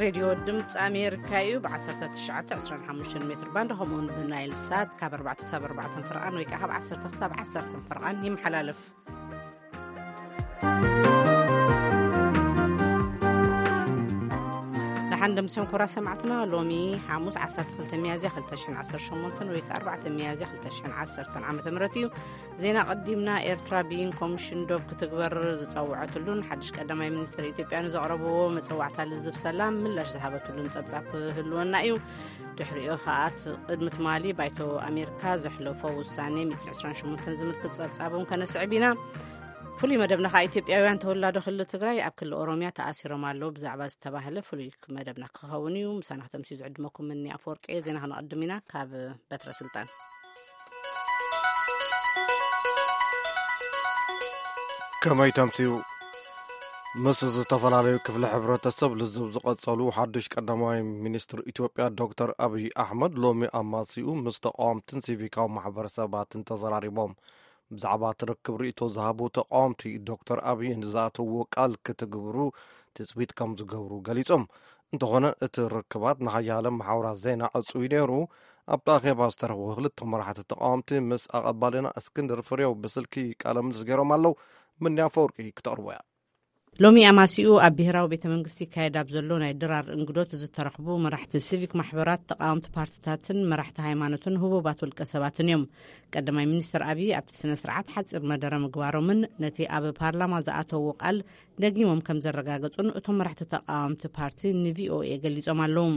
ሬድዮ ድምፂ ኣሜሪካ እዩ። ብ1925 ሜትር ባንድ ከምኡውን ብናይል ሳት ካብ ኣርባዕተ ክሳብ ኣርባዕተ ፍርቓን ወይ ከዓ ካብ ዓሰርተ ክሳብ ዓሰርተ ፍርቓን ይመሓላለፍ። ደሓን ደምስዮም ክቡራት ሰማዕትና፣ ሎሚ ሓሙስ ዓሰርተ ክልተ ሚያዝያ ክልተ ሽሕን ዓሰርተ ሸሞንተን ወይ ከዓ ኣርባዕተ ሚያዝያ ክልተ ሽሕን ዓሰርተን ዓመተ ምህረት እዩ። ዜና ቀዲምና። ኤርትራ ብይን ኮሚሽን ዶብ ክትግበር ዝጸውዐትሉን ሓድሽ ቀዳማይ ሚኒስትር ኢትዮጵያ ንዘቕረብዎ መጸዋዕታ ልዝብ ሰላም ምላሽ ዝሃበትሉን ጸብጻብ ክህልወና እዩ። ድሕሪኡ ከኣ እቲ ቅድሚ ትማሊ ባይቶ ኣሜሪካ ዘሕለፎ ውሳኔ ሚእትን ዕስራን ሸሞንተን ዝምልክት ጸብጻብ እውን ከነስዕብ ኢና። ፍሉይ መደብና ከኣ ኢትዮጵያውያን ተወላዶ ክልል ትግራይ ኣብ ክልል ኦሮሚያ ተኣሲሮም ኣለዉ ብዛዕባ ዝተባህለ ፍሉይ መደብና ክኸውን እዩ። ምሳና ክተምስዩ ዝዕድመኩም ምኒ ኣፈወርቂ። ዜና ክነቐድም ኢና ካብ በትረ ስልጣን። ከመይ ተምስዩ? ምስ ዝተፈላለዩ ክፍሊ ሕብረተሰብ ልዝብ ዝቐጸሉ ሓድሽ ቀዳማይ ሚኒስትር ኢትዮጵያ ዶክተር ኣብይ ኣሕመድ ሎሚ ኣማሲኡ ምስ ተቃወምትን ሲቪካዊ ማሕበረሰባትን ተዘራሪቦም። ብዛዕባ እቲ ርክብ ርእይቶ ዝሃቡ ተቃወምቲ፣ ዶክተር ኣብይ ንዝኣተውዎ ቃል ክትግብሩ ትጽቢት ከም ዝገብሩ ገሊጾም። እንተኾነ እቲ ርክባት ንሓያለ መሓውራት ዜና ዕጹይ ነይሩ። ኣብቲ ኣኼባ ዝተረኽቡ ክልተ መራሕቲ ተቃወምቲ ምስ ኣቐባልና እስክንድር ፍሬው ብስልኪ ቃለ ምልልስ ገይሮም ኣለዉ። ምንያ ፈወርቂ ክተቕርቦ እያ። ሎሚ ኣማሲኡ ኣብ ብሄራዊ ቤተ መንግስቲ ይካየድ ኣብ ዘሎ ናይ ድራር እንግዶት ዝተረኽቡ መራሕቲ ሲቪክ ማሕበራት፣ ተቃወምቲ ፓርትታትን መራሕቲ ሃይማኖትን ህቡባት ውልቀ ሰባትን እዮም። ቀዳማይ ሚኒስትር ኣብይ ኣብቲ ስነ ስርዓት ሓፂር መደረ ምግባሮምን ነቲ ኣብ ፓርላማ ዝኣተዎ ቃል ደጊሞም ከም ዘረጋገጹን እቶም መራሕቲ ተቃወምቲ ፓርቲ ንቪኦኤ ገሊጾም ኣለዉ።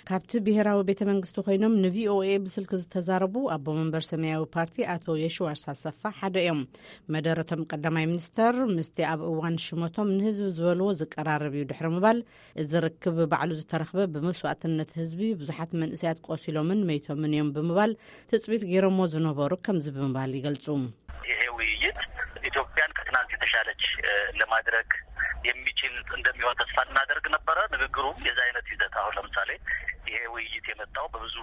ካብቲ ብሄራዊ ቤተ መንግስቲ ኮይኖም ንቪኦኤ ብስልኪ ዝተዛረቡ ኣቦ መንበር ሰማያዊ ፓርቲ ኣቶ የሽዋስ ኣሰፋ ሓደ እዮም። መደረቶም ቀዳማይ ሚኒስተር ምስቲ ኣብ እዋን ሽመቶም ንህዝቢ ዝበልዎ ዝቀራረብ እዩ ድሕሪ ምባል፣ እዚ ርክብ ባዕሉ ዝተረኽበ ብመስዋእትነት ህዝቢ ብዙሓት መንእሰያት ቆሲሎምን መይቶምን እዮም ብምባል ትጽቢት ገይሮሞ ዝነበሩ ከምዚ ብምባል ይገልጹ። ይሄ ውይይት ኢትዮጵያን ከትናንት የተሻለች ለማድረግ የሚችል እንደሚሆን ተስፋ እናደርግ ነበረ። ንግግሩም የዚ አይነት ይዘት፣ አሁን ለምሳሌ ይሄ ውይይት የመጣው በብዙ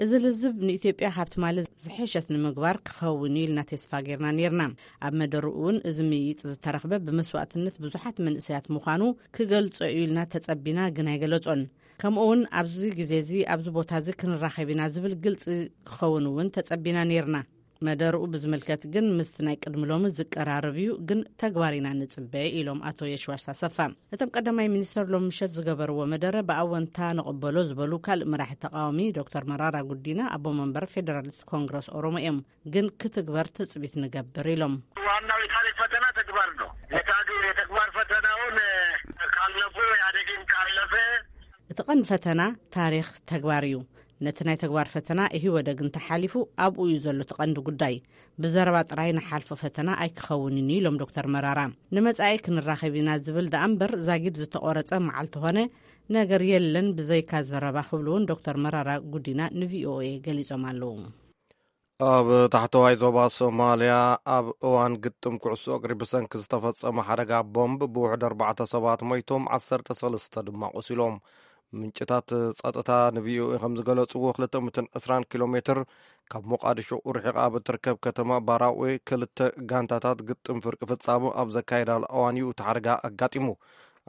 እዚ ልዝብ ንኢትዮጵያ ካብ ትማሊ ዝሐሸት ንምግባር ክኸውን እዩ ኢልና ተስፋ ጌርና ኔርና። ኣብ መደርኡ እውን እዚ ምይይጥ ዝተረኽበ ብመስዋእትነት ብዙሓት መንእሰያት ምዃኑ ክገልጾ እዩ ኢልና ተጸቢና፣ ግን ኣይገለጾን። ከምኡ እውን ኣብዚ ግዜ እዚ ኣብዚ ቦታ እዚ ክንራኸብ ኢና ዝብል ግልጺ ክኸውን እውን ተጸቢና ኔርና። መደርኡ ብዝምልከት ግን ምስቲ ናይ ቅድሚ ሎሚ ዝቀራረብ እዩ፣ ግን ተግባር ኢና ንጽበ ኢሎም ኣቶ የሽዋስ ኣሰፋ። እቶም ቀዳማይ ሚኒስተር ሎም ምሸት ዝገበርዎ መደረ ብኣወንታ ንቕበሎ ዝበሉ ካልእ መራሒ ተቃዋሚ ዶክተር መራራ ጉዲና ኣቦ መንበር ፌደራሊስት ኮንግረስ ኦሮሞ እዮም። ግን ክትግበር ትጽቢት ንገብር ኢሎም። ዋናው የታሪክ ፈተና ተግባር ነው። የታግ- የተግባር ፈተናውን ካለፉ ኢህአዴግን ካለፈ እቲ ቀንዲ ፈተና ታሪኽ ተግባር እዩ። ነቲ ናይ ተግባር ፈተና ኢህወደግ እንተሓሊፉ ኣብኡ እዩ ዘሎ እቲ ቀንዲ ጉዳይ። ብዘረባ ጥራይ ንሓልፎ ፈተና ኣይክኸውንን እዩ ኢሎም ዶክተር መራራ። ንመጻኢ ክንራኸብ ኢና ዝብል ደኣ እምበር ዛጊድ ዝተቆረጸ መዓልቲ ኾነ ነገር የለን ብዘይካ ዘረባ ክብሉ እውን ዶክተር መራራ ጉዲና ንቪኦኤ ገሊጾም ኣለዉ። ኣብ ታሕተዋይ ዞባ ሶማልያ ኣብ እዋን ግጥም ኩዕሶ እግሪ ብሰንኪ ዝተፈጸመ ሓደጋ ቦምብ ብውሕድ ኣርባዕተ ሰባት ሞይቶም ዓሰርተ ሰለስተ ድማ ቆሲሎም። ምንጭታት ጸጥታ ንቪኦኤ ከም ዝገለጽዎ ክልተ ሚእትን ዕስራን ኪሎ ሜትር ካብ ሞቃዲሾ ርሒቓ ኣብ እትርከብ ከተማ ባራዌ ክልተ ጋንታታት ግጥም ፍርቂ ፍጻመ ኣብ ዘካየዳሉ እዋን እዩ እቲ ሓደጋ ኣጋጢሙ።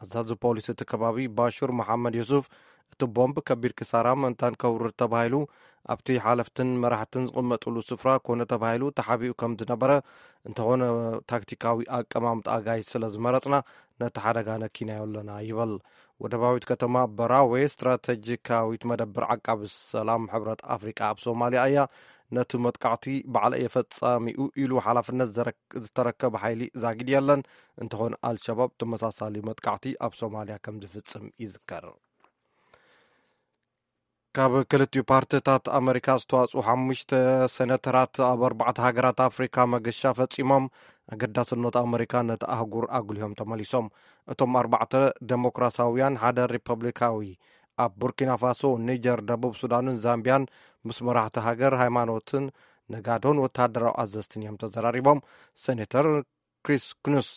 ኣዛዚ ፖሊስ እቲ ከባቢ ባሹር መሓመድ ዩሱፍ እቲ ቦምብ ከቢድ ክሳራ ምእንታን ከውርድ ተባሂሉ ኣብቲ ሓለፍትን መራሕትን ዝቕመጥሉ ስፍራ ኮነ ተባሂሉ ተሓቢኡ ከም ዝነበረ፣ እንተኾነ ታክቲካዊ ኣቀማምጣ ኣጋይሽ ስለ ዝመረጽና ነቲ ሓደጋ ነኪናዮ ኣለና ይበል። ወደባዊት ከተማ በራዌ ስትራተጂካዊት መደብር ዓቃቢ ሰላም ሕብረት ኣፍሪቃ ኣብ ሶማልያ እያ። ነቲ መጥቃዕቲ ባዕለ እየ ፈጻሚኡ ኢሉ ሓላፍነት ዘረክ- ዝተረከበ ሓይሊ ዛጊድ የለን። እንተኾነ ኣልሸባብ ተመሳሳሊ መጥቃዕቲ ኣብ ሶማልያ ከም ዝፍጽም ይዝከር። ካብ ክልቲኡ ፓርቲታት ኣመሪካ ዝተዋጽኡ ሓሙሽተ ሴነተራት ኣብ ኣርባዕተ ሃገራት ኣፍሪካ መገሻ ፈጺሞም ኣገዳስነት ኣመሪካ ነቲ ኣህጉር ኣጉልሆም ተመሊሶም። እቶም ኣርባዕተ ደሞክራሲያውያን፣ ሓደ ሪፐብሊካዊ፣ ኣብ ቡርኪና ፋሶ፣ ኒጀር፣ ደቡብ ሱዳንን ዛምቢያን ምስ መራሕቲ ሃገር፣ ሃይማኖትን ነጋዶን ወተሃደራዊ ኣዘዝትን እዮም ተዘራሪቦም። ሴኔተር ክሪስ ኩኑስ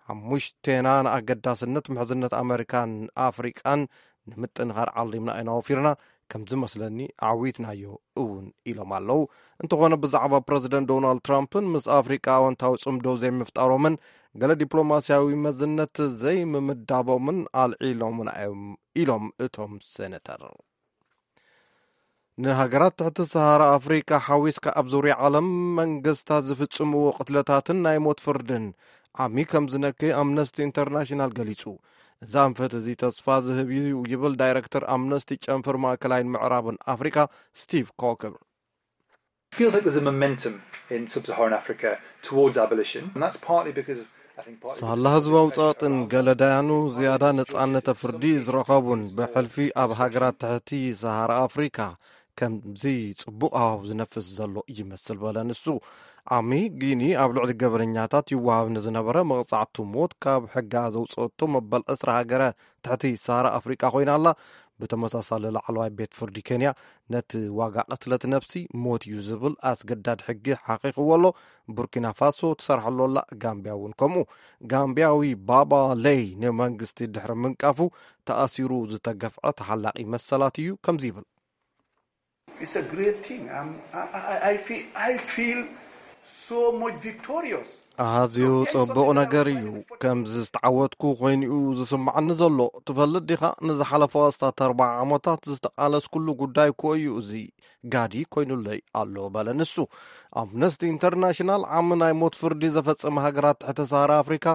ሓሙሽቴና ንኣገዳስነት ምሕዝነት ኣመሪካን ኣፍሪቃን ንምጥንኻር ዓሊምና ኢና ወፊርና፣ ከም ዝመስለኒ ኣዕዊትናዮ እውን ኢሎም ኣለዉ። እንተኾነ ብዛዕባ ፕረዚደንት ዶናልድ ትራምፕን ምስ ኣፍሪቃ ኣወንታዊ ጽምዶ ዘይምፍጣሮምን ገለ ዲፕሎማስያዊ መዝነት ዘይምምዳቦምን ኣልዒሎምና እዮም ኢሎም እቶም ሴነተር። ንሃገራት ትሕቲ ሰሃራ ኣፍሪቃ ሓዊስካ ኣብ ዙርያ ዓለም መንግስታት ዝፍጽምዎ ቅትለታትን ናይ ሞት ፍርድን ዓሚ ከም ዝነክይ ኣምነስቲ ኢንተርናሽናል ገሊጹ። እዚ ኣንፈት እዚ ተስፋ ዝህብ እዩ ይብል ዳይረክተር ኣምነስቲ ጨንፈር ማእከላይን ምዕራብን ኣፍሪካ ስቲቭ ኮከር። Feels like there's a momentum in sub-Saharan Africa towards abolition, and that's partly because I think partly ሳላ ህዝባዊ ጸቕጥን ገለ ዳያኑ ዝያዳ ነጻነተ ፍርዲ ዝረኸቡን ብሕልፊ ኣብ ሃገራት ትሕቲ ሰሃራ ኣፍሪካ ከምዚ ጽቡቕ ሃዋሁ ዝነፍስ ዘሎ ይመስል በለ ንሱ። ዓሚ ጊኒ ኣብ ልዕሊ ገበነኛታት ይወሃብ ንዝነበረ መቕጻዕቱ ሞት ካብ ሕጋ ዘውፅኦቶ መበል ዕስራ ሃገረ ትሕቲ ሰሃራ ኣፍሪቃ ኮይና ኣላ። ብተመሳሳሊ ላዕለዋይ ቤት ፍርዲ ኬንያ ነቲ ዋጋ ቅትለት ነፍሲ ሞት እዩ ዝብል ኣስገዳድ ሕጊ ሓቂቕዎ ኣሎ። ቡርኪና ፋሶ ትሰርሐሉ ኣላ። ጋምቢያ እውን ከምኡ። ጋምቢያዊ ባባ ለይ ንመንግስቲ ድሕሪ ምንቃፉ ተኣሲሩ ዝተገፍዐ ተሓላቒ መሰላት እዩ ከምዚ ይብል። It's a great thing. I'm, I, I, I, feel, I feel so much victorious. ኣዝዩ ጽቡቕ ነገር እዩ። ከምዚ ዝተዓወትኩ ኮይኑኡ ዝስምዓኒ ዘሎ። ትፈልጥ ዲኻ፣ ንዝሓለፈ ኣስታት ኣርባዓ ዓመታት ዝተቓለስኩሉ ጉዳይ እኮ እዩ እዚ። ጋዲ ኮይኑለይ ኣሎ በለ ንሱ። ኣምነስቲ ኢንተርናሽናል ዓሚ ናይ ሞት ፍርዲ ዘፈጸመ ሃገራት ትሕቲ ሰሃራ ኣፍሪካ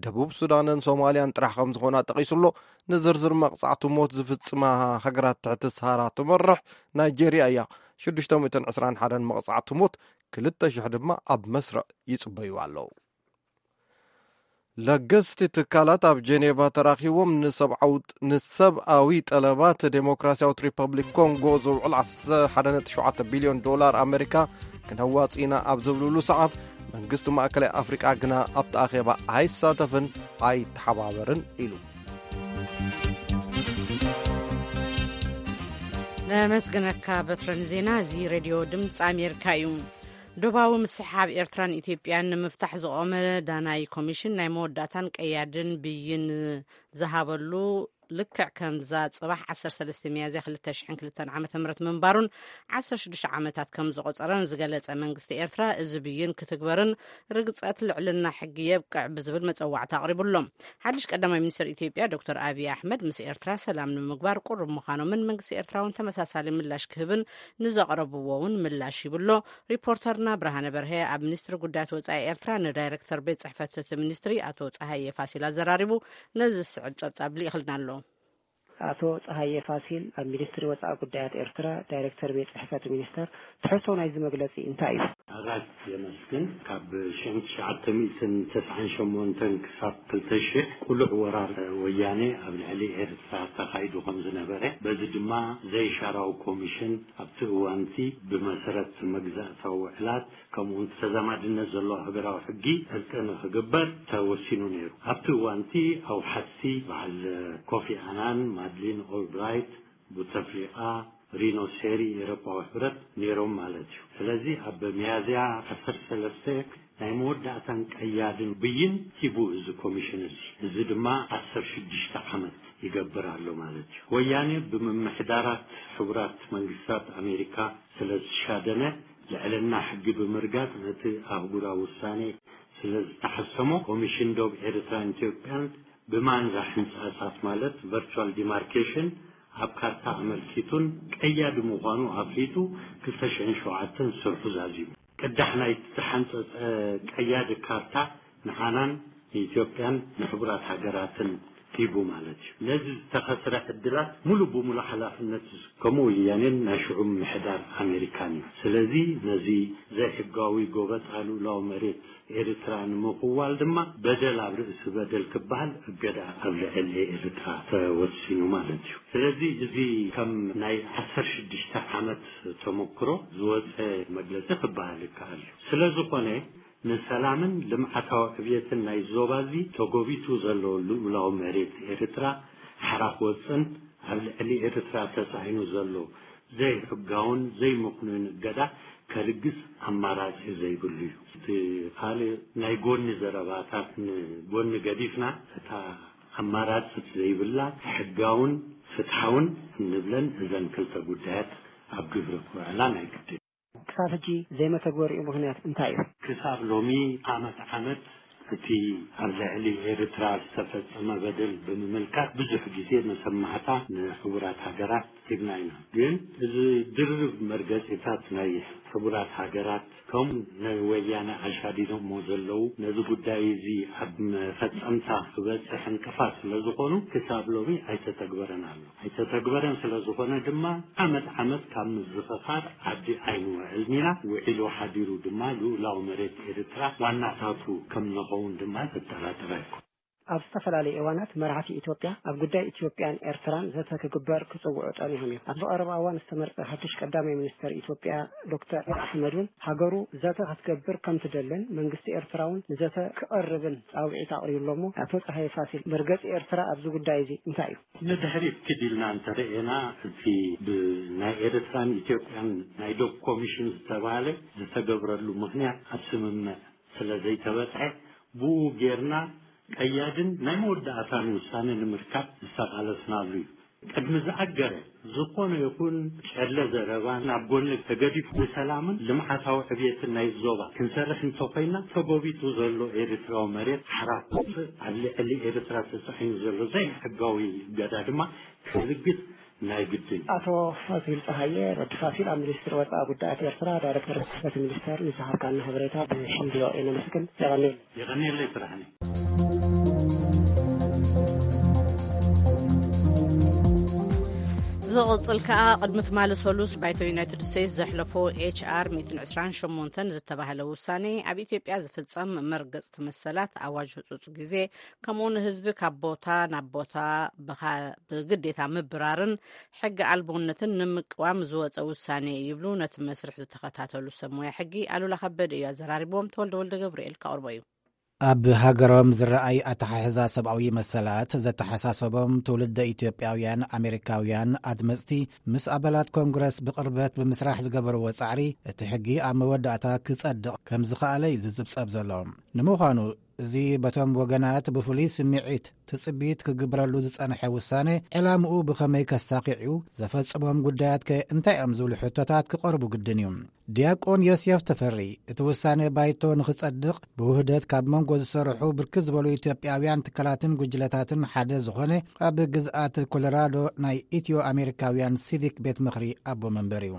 ደቡብ ሱዳንን ሶማልያን ጥራሕ ከም ዝኾና ጠቒሱ ኣሎ። ንዝርዝር መቕጻዕቲ ሞት ዝፍጽማ ሃገራት ትሕቲ ሰሃራ ትመርሕ ናይጄርያ እያ። ሽዱሽተ ሚእትን ዕስራን ሓደን መቕጻዕቲ ሞት፣ ክልተ ሽሕ ድማ ኣብ መስርዕ ይጽበዩ ኣለዉ። ለገስቲ ትካላት ኣብ ጀኔቫ ተራኺቦም ንሰብኣዊ ጠለባት ዴሞክራሲያዊት ሪፐብሊክ ኮንጎ ዝውዕል ዓሰርተ ሓደ ነጥቢ ሸውዓተ ቢልዮን ዶላር ኣሜሪካ ክነዋጽእ ኢና ኣብ ዝብልሉ ሰዓት መንግስቲ ማእከላይ ኣፍሪቃ ግና ኣብቲ ኣኼባ ኣይሳተፍን ኣይተሓባበርን ኢሉ። ነመስግነካ በትረ ንዜና። እዚ ሬድዮ ድምፂ ኣሜሪካ እዩ። ዶባዊ ምስሕሓብ ኤርትራን ኢትዮጵያን ንምፍታሕ ዝቖመ ዳናይ ኮሚሽን ናይ መወዳእታን ቀያድን ብይን ዝሃበሉ ልክዕ ከምዛ ፅባሕ ዓሰርተ ሰለስተ ሚያዝያ ክልተ ሽሕን ክልተን ዓመተ ምህረት ምንባሩን ዓሰርተ ሽዱሽተ ዓመታት ከም ዘቖፀረን ዝገለፀ መንግስቲ ኤርትራ፣ እዚ ብይን ክትግበርን ርግፀት ልዕልና ሕጊ የብቅዕ ብዝብል መፀዋዕታ ኣቕሪቡ ኣሎ። ሓድሽ ቀዳማይ ሚኒስትር ኢትዮጵያ ዶክተር ኣብይ ኣሕመድ ምስ ኤርትራ ሰላም ንምግባር ቁሩብ ምዃኖምን መንግስቲ ኤርትራ እውን ተመሳሳሊ ምላሽ ክህብን ንዘቕረብዎ እውን ምላሽ ሂቡ ኣሎ። ሪፖርተርና ብርሃነ በርሀ ኣብ ሚኒስትሪ ጉዳያት ወፃኢ ኤርትራ ንዳይረክተር ቤት ፅሕፈት እቲ ሚኒስትሪ ኣቶ ፀሃየ ፋሲል ኣዘራሪቡ ነዚ ዝስዕብ ፀብፃብ ልኢኽልና ኣሎ። ኣቶ ፀሃየ ፋሲል ኣብ ሚኒስትሪ ወፃኢ ጉዳያት ኤርትራ ዳይረክተር ቤት ፅሕፈት ሚኒስተር፣ ትሕዝቶ ናይዚ መግለፂ እንታይ እዩ? ኣራት የመስግን። ካብ ሽሕን ትሽዓተ ሚእትን ተስዓን ሸሞንተን ክሳብ ክልተ ሽሕ ቁሉዕ ወራር ወያኔ ኣብ ልዕሊ ኤርትራ ተኻይዱ ከም ዝነበረ፣ በዚ ድማ ዘይሻራዊ ኮሚሽን ኣብቲ እዋንቲ ብመሰረት መግዛእታዊ ውዕላት ከምኡውን ተዛማድነት ዘለዎ ሃገራዊ ሕጊ ዕርቂ ንኽግበር ተወሲኑ ነይሩ። ኣብቲ እዋንቲ ኣውሓስቲ በዓል ኮፊ ኣናን፣ ማድሊን ኦልብራይት፣ ቡተፍሊቃ፣ ሪኖ ሴሪ ኤውሮጳዊ ሕብረት ነይሮም ማለት እዩ። ስለዚ ኣብ ሚያዝያ ዓሰርተ ሰለስተ ናይ መወዳእታን ቀያድን ብይን ሂቡ እዚ ኮሚሽን እዚ። እዚ ድማ ዓሰርተ ሽዱሽተ ዓመት ይገብር ኣሎ ማለት እዩ። ወያኔ ብምምሕዳራት ሕቡራት መንግስታት ኣሜሪካ ስለ ዝሻደነ፣ ልዕልና ሕጊ ብምርጋጥ ነቲ ኣህጉራዊ ውሳኔ ስለ ዝተሓሰሞ፣ ኮሚሽን ዶብ ኤርትራን ኢትዮጵያን ብማንዛ ሕንጻጻት ማለት ቨርቹዋል ዲማርኬሽን ኣብ ካርታ ኣመልኪቱን ቀያዲ ምዃኑ ኣፍሊጡ ክልተ ሽሕን ሸውዓተን ስርሑ ዛዚሙ። ቅዳሕ ናይ ዝተሓንጸጸ ቀያዲ ካርታ ንዓናን ንኢትዮጵያን ንሕቡራት ሃገራትን ሂቡ ማለት እዩ። ነዚ ዝተኸስረ ዕድላት ሙሉ ብሙሉ ሓላፍነት ዝስከሞ ወያኔን ናይ ሽዑ ምሕዳር ኣሜሪካን እዩ። ስለዚ ነዚ ዘይሕጋዊ ጎበጣ ልኡላዊ መሬት ኤርትራ ንምኽዋል ድማ በደል ኣብ ርእሲ በደል ክበሃል እገዳ ኣብ ልዕሊ ኤርትራ ተወሲኑ ማለት እዩ። ስለዚ እዚ ከም ናይ ዓሰርተ ሽዱሽተ ዓመት ተመክሮ ዝወፀ መግለፂ ክበሃል ይከኣል እዩ። ስለ ዝኾነ ንሰላምን ልምዓታዊ ዕብየትን ናይ ዞባ እዚ ተጎቢጡ ዘሎ ልኡላዊ መሬት ኤርትራ ሓራ ክወፅን ኣብ ልዕሊ ኤርትራ ተፃዒኑ ዘሎ ዘይሕጋውን ዘይምኽኑይን እገዳ ከልግስ ኣማራፂ ዘይብሉ እዩ። እቲ ካልእ ናይ ጎኒ ዘረባታት ንጎኒ ገዲፍና፣ እታ ኣማራፂ ዘይብላ ሕጋውን ፍትሓውን እንብለን እዘን ክልተ ጉዳያት ኣብ ግብሪ ክውዕላ ናይ ግድን። ክሳብ ሕጂ ዘይመተግበሪኡ ምኽንያት እንታይ እዩ? ክሳብ ሎሚ ዓመት ዓመት እቲ ኣብ ልዕሊ ኤርትራ ዝተፈጸመ በደል ብምምልካት ብዙሕ ግዜ መሰማዕታ ንሕቡራት ሃገራት ሂብና ኢና። ግን እዚ ድርብ መርገጺታት ናይ ሕቡራት ሃገራት ከም ናይ ወያነ ኣሻዲዶሞ ዘለዉ ነዚ ጉዳይ እዚ ኣብ መፈጸምታ ክበጽሕ ዕንቅፋት ስለ ዝኾኑ ክሳብ ሎሚ ኣይተተግበረን ኣሎ። ኣይተተግበረን ስለ ዝኾነ ድማ ዓመት ዓመት ካብ ምዝኽኻር ዓዲ ኣይንውዕልን ኢና። ውዒሉ ሓዲሩ ድማ ልኡላዊ መሬት ኤርትራ ዋናታቱ ከም ንኸውን ድማ ዘጠራጥር ኣይኮን። ኣብ ዝተፈላለዩ እዋናት መራሕቲ ኢትዮጵያ ኣብ ጉዳይ ኢትዮጵያን ኤርትራን ዘተ ክግበር ክጽውዑ ጸኒሖም እዮም። ኣብዚ ቀረባ እዋን ዝተመርጸ ሓድሽ ቀዳማይ ሚኒስተር ኢትዮጵያ ዶክተር ኣሕመድ እውን ሃገሩ ዘተ ክትገብር ከም ትደልን መንግስቲ ኤርትራ እውን ንዘተ ክቐርብን ጻውዒት ኣቕሪቡ ኣሎ። እሞ ኣቶ ጸሃየ ፋሲል፣ መርገጺ ኤርትራ ኣብዚ ጉዳይ እዚ እንታይ እዩ? ንድሕሪት ክድ ኢልና እንተረኤና እቲ ብናይ ኤርትራን ኢትዮጵያን ናይ ዶብ ኮሚሽን ዝተባህለ ዝተገብረሉ ምኽንያት ኣብ ስምምዕ ስለ ዘይተበጽሐ ብኡ ጌርና ቀያድን ናይ መወዳእታን ውሳነ ንምርካብ ዝተቓለስናሉ እዩ። ቅድሚ ዝኣገረ ዝኾነ ይኹን ጨለ ዘረባ ናብ ጎኒ ተገዲፉ ንሰላምን ልምዓታዊ ዕብየትን ናይ ዞባ ክንሰርሕ እንተኾይና ተጎቢጡ ዘሎ ኤርትራዊ መሬት ሓራ ኣብ ልዕሊ ኤርትራ ተጻዒኑ ዘሎ ዘይሕጋዊ እገዳ ድማ ክልግስ ናይ ግድን። ኣቶ ፋሲል ጸሃየ ወዲ ፋሲል ኣብ ሚኒስትሪ ወጻኢ ጉዳያት ኤርትራ ዳይረክተር ጽሕፈት ሚኒስተር ንዝሃብካና ሓበሬታ ብሽም ቪኦኤ ነመስግን። የቐንየልና። የቐንየለይ ስራሕኒ። ዝቕጽል ከኣ ቅድሚ ትማሊ ሰሉስ ባይቶ ዩናይትድ ስቴትስ ዘሕለፎ ኤች ኣር ሚእትን ዕስራን ሸሞንተን ዝተባህለ ውሳኔ ኣብ ኢትዮጵያ ዝፍጸም መርገጽቲ መሰላት ኣዋጅ ህጹጽ ግዜ ከምኡ ንህዝቢ ካብ ቦታ ናብ ቦታ ብግዴታ ምብራርን ሕጊ ኣልቦነትን ንምቅዋም ዝወጸ ውሳኔ ይብሉ ነቲ መስርሕ ዝተኸታተሉ ሰብ ሞያ ሕጊ። ኣሉላ ከበደ እዩ ኣዘራሪብዎም። ተወልደ ወልደ ገብርኤል ከቕርቦ እዩ። ኣብ ሃገሮም ዝረኣይ ኣተሓሕዛ ሰብኣዊ መሰላት ዘተሓሳሰቦም ትውልደ ኢትዮጵያውያን ኣሜሪካውያን ኣድመፅቲ ምስ ኣባላት ኮንግረስ ብቕርበት ብምስራሕ ዝገበርዎ ፃዕሪ እቲ ሕጊ ኣብ መወዳእታ ክፀድቕ ከም ዝኸኣለ እዩ ዝፅብፀብ ዘሎ። ንምዃኑ እዚ በቶም ወገናት ብፍሉይ ስምዒት ትፅቢት ክግብረሉ ዝፀንሐ ውሳነ ዕላምኡ ብኸመይ ከሳኺዕ እዩ? ዘፈፅሞም ጉዳያት ከ እንታይ እዮም ዝብሉ ሕቶታት ክቐርቡ ግድን እዩ። ዲያቆን ዮሴፍ ተፈሪ እቲ ውሳነ ባይቶ ንኽጸድቕ ብውህደት ካብ መንጎ ዝሰርሑ ብርክት ዝበሉ ኢትዮጵያውያን ትካላትን ጉጅለታትን ሓደ ዝኾነ ኣብ ግዝኣት ኮሎራዶ ናይ ኢትዮ ኣሜሪካውያን ሲቪክ ቤት ምኽሪ ኣቦ መንበር እዩ።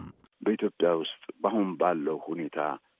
በኢትዮጵያ ውስጥ በአሁን ባለው ሁኔታ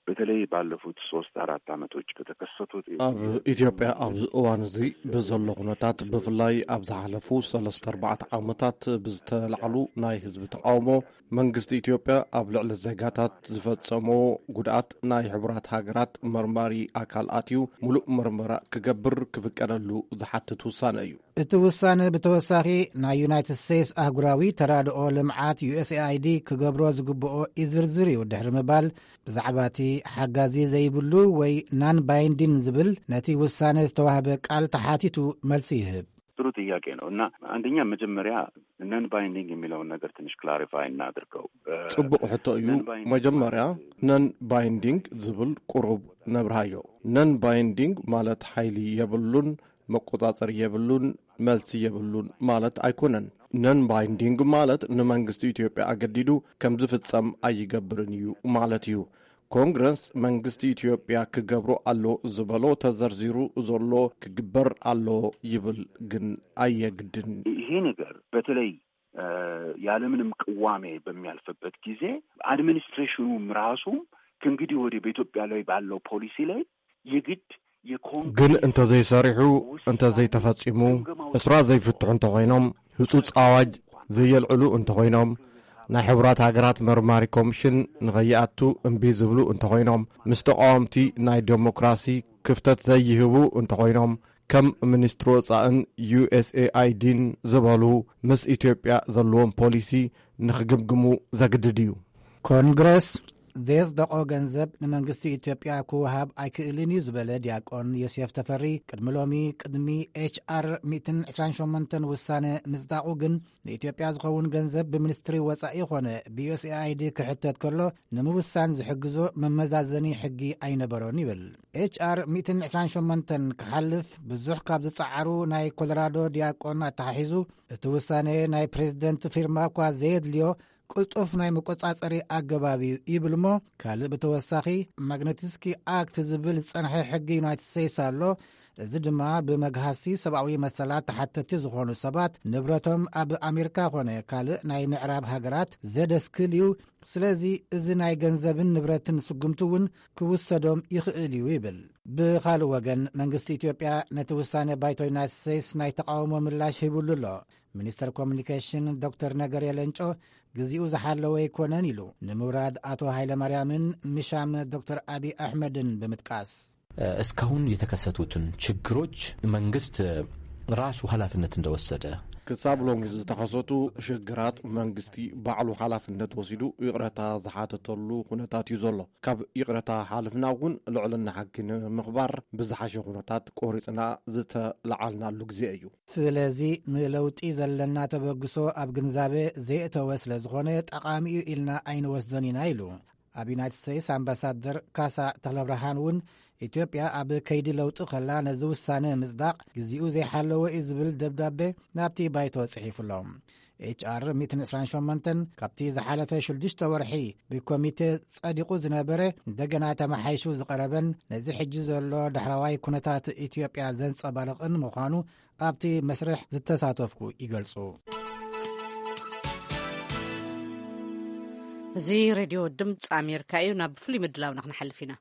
በተለይ ባለፉት ሶስት አራት ዓመቶች ከተከሰቱት ኣብ ኢትዮጵያ ኣብዚ እዋን እዚ ብዘሎ ኩነታት ብፍላይ ኣብ ዝሓለፉ ሰለስተ ኣርባዕተ ዓመታት ብዝተላዕሉ ናይ ህዝቢ ተቃውሞ መንግስቲ ኢትዮጵያ ኣብ ልዕሊ ዜጋታት ዝፈጸሞ ጉድኣት ናይ ሕቡራት ሃገራት መርማሪ ኣካል ኣትዩ ሙሉእ መርመራ ክገብር ክፍቀደሉ ዝሓትት ውሳነ እዩ። እቲ ውሳነ ብተወሳኺ ናይ ዩናይትድ ስቴትስ ኣህጉራዊ ተራድኦ ልምዓት ዩ ኤስ ኤ ኣይ ዲ ክገብሮ ዝግብኦ ኢዝርዝር እዩ ድሕሪ ምባል ብዛዕባ እቲ ሓጋዚ ዘይብሉ ወይ ናን ባይንዲን ዝብል ነቲ ውሳነ ዝተዋህበ ቃል ተሓቲቱ መልሲ ይህብ። ጥሩ ጥያቄ ነው እና አንደኛ መጀመሪያ non binding የሚለውን ነገር ትንሽ clarify እናድርገው። ጽቡቕ ሕቶ እዩ። መጀመርያ non binding ዝብል ቁሩብ ነብርሃዮ። Non binding ማለት ሓይሊ የብሉን፣ መቆጻጸሪ የብሉን፣ መልሲ የብሉን ማለት ኣይኮነን። Non binding ማለት ንመንግስቲ ኢትዮጵያ ኣገዲዱ ከም ዝፍጸም ኣይገብርን እዩ ማለት እዩ። ኮንግረስ መንግስቲ ኢትዮጵያ ክገብሮ ኣሎ ዝበሎ ተዘርዚሩ ዘሎ ክግበር ኣሎ ይብል ግን ኣየግድን። ይሄ ነገር በተለይ ያለምንም ቅዋሜ በሚያልፍበት ጊዜ አድሚኒስትሬሽኑም ራሱም ከእንግዲህ ወዲህ በኢትዮጵያ ላይ ባለው ፖሊሲ ላይ የግድ ግን እንተዘይሰሪሑ እንተዘይተፈጺሙ፣ እስራ ዘይፍትሑ እንተኾይኖም፣ ህጹጽ ኣዋጅ ዘየልዕሉ እንተኾይኖም፣ ናይ ሕቡራት ሃገራት መርማሪ ኮሚሽን ንኸይኣቱ እምቢ ዝብሉ እንተኾይኖም፣ ምስ ተቓወምቲ ናይ ደሞክራሲ ክፍተት ዘይህቡ እንተኾይኖም፣ ከም ሚኒስትሪ ወጻእን ዩ ኤስ ኤ ኣይ ዲን ዝበሉ ምስ ኢትዮጵያ ዘለዎም ፖሊሲ ንኽግምግሙ ዘግድድ እዩ። ኮንግረስ ዘየጽደቖ ገንዘብ ንመንግስቲ ኢትዮጵያ ክወሃብ ኣይክእልን እዩ ዝበለ ዲያቆን ዮሴፍ ተፈሪ፣ ቅድሚ ሎሚ፣ ቅድሚ ኤች ኣር ሚእትን ዕስራን ሸሞንተን ውሳነ ምጽዳቑ ግን፣ ንኢትዮጵያ ዝኸውን ገንዘብ ብሚኒስትሪ ወጻኢ ኾነ ብዩኤስኤኣይዲ ክሕተት ከሎ ንምውሳን ዝሕግዞ መመዛዘኒ ሕጊ ኣይነበሮን ይብል። ኤች ኣር ሚእትን ዕስራን ሸሞንተን ክሓልፍ ብዙሕ ካብ ዝጸዓሩ ናይ ኮሎራዶ ዲያቆን ኣተሓሒዙ፣ እቲ ውሳነ ናይ ፕሬዝደንት ፊርማ እኳ ዘየድልዮ ቅልጡፍ ናይ መቆጻጸሪ ኣገባብ እዩ ይብል እሞ፣ ካልእ ብተወሳኺ ማግነቲስኪ ኣክት ዝብል ዝጸንሐ ሕጊ ዩናይትድ ስቴትስ ኣሎ። እዚ ድማ ብመግሃሲ ሰብኣዊ መሰላት ተሓተቲ ዝኾኑ ሰባት ንብረቶም ኣብ ኣሜሪካ ኾነ ካልእ ናይ ምዕራብ ሃገራት ዘደስክል እዩ። ስለዚ እዚ ናይ ገንዘብን ንብረትን ስጉምቲ እውን ክውሰዶም ይኽእል እዩ ይብል። ብኻልእ ወገን፣ መንግስቲ ኢትዮጵያ ነቲ ውሳነ ባይቶ ዩናይትድ ስቴትስ ናይ ተቃውሞ ምላሽ ሂቡሉ ኣሎ። ሚኒስተር ኮሚኒኬሽን ዶክተር ነገርየ ለንጮ፣ ግዜኡ ዝሓለወ ኣይኮነን ኢሉ ንምውራድ ኣቶ ሃይለማርያምን ምሻም ዶክተር ኣቢ ኣሕመድን ብምጥቃስ። እስካሁን የተከሰቱትን ችግሮች መንግስት ራሱ ኃላፊነት እንደወሰደ። ክሳብ ሎሚ ዝተኸሰቱ ሽግራት መንግስቲ ባዕሉ ሓላፍነት ወሲዱ ይቕረታ ዝሓተተሉ ኩነታት እዩ ዘሎ። ካብ ይቕረታ ሓልፍና እውን ልዕልና ሕጊ ንምኽባር ብዝሓሸ ኩነታት ቆሪፅና ዝተለዓልናሉ ግዜ እዩ። ስለዚ ንለውጢ ዘለና ተበግሶ ኣብ ግንዛበ ዘየእተወ ስለ ዝኾነ ጠቓሚ እዩ ኢልና ኣይንወስዶን ኢና ኢሉ። ኣብ ዩናይትድ ስቴትስ ኣምባሳደር ካሳ ተኽለብርሃን እውን ኢትዮጵያ ኣብ ከይዲ ለውጢ ከላ ነዚ ውሳነ ምጽዳቕ ግዜኡ ዘይሓለወ እዩ ዝብል ደብዳቤ ናብቲ ባይቶ ጽሒፉሎም። ኤች ኣር ሚእትን ዕስራን ሸሞንተን ካብቲ ዝሓለፈ ሽዱሽተ ወርሒ ብኮሚቴ ጸዲቑ ዝነበረ እንደገና ተመሓይሹ ዝቐረበን ነዚ ሕጂ ዘሎ ዳሕረዋይ ኩነታት ኢትዮጵያ ዘንጸባርቕን ምዃኑ ኣብቲ መስርሕ ዝተሳተፍኩ ይገልጹ። እዚ ሬድዮ ድምፂ ኣሜሪካ እዩ። ናብ ፍሉይ ምድላውና ክንሓልፍ ኢና።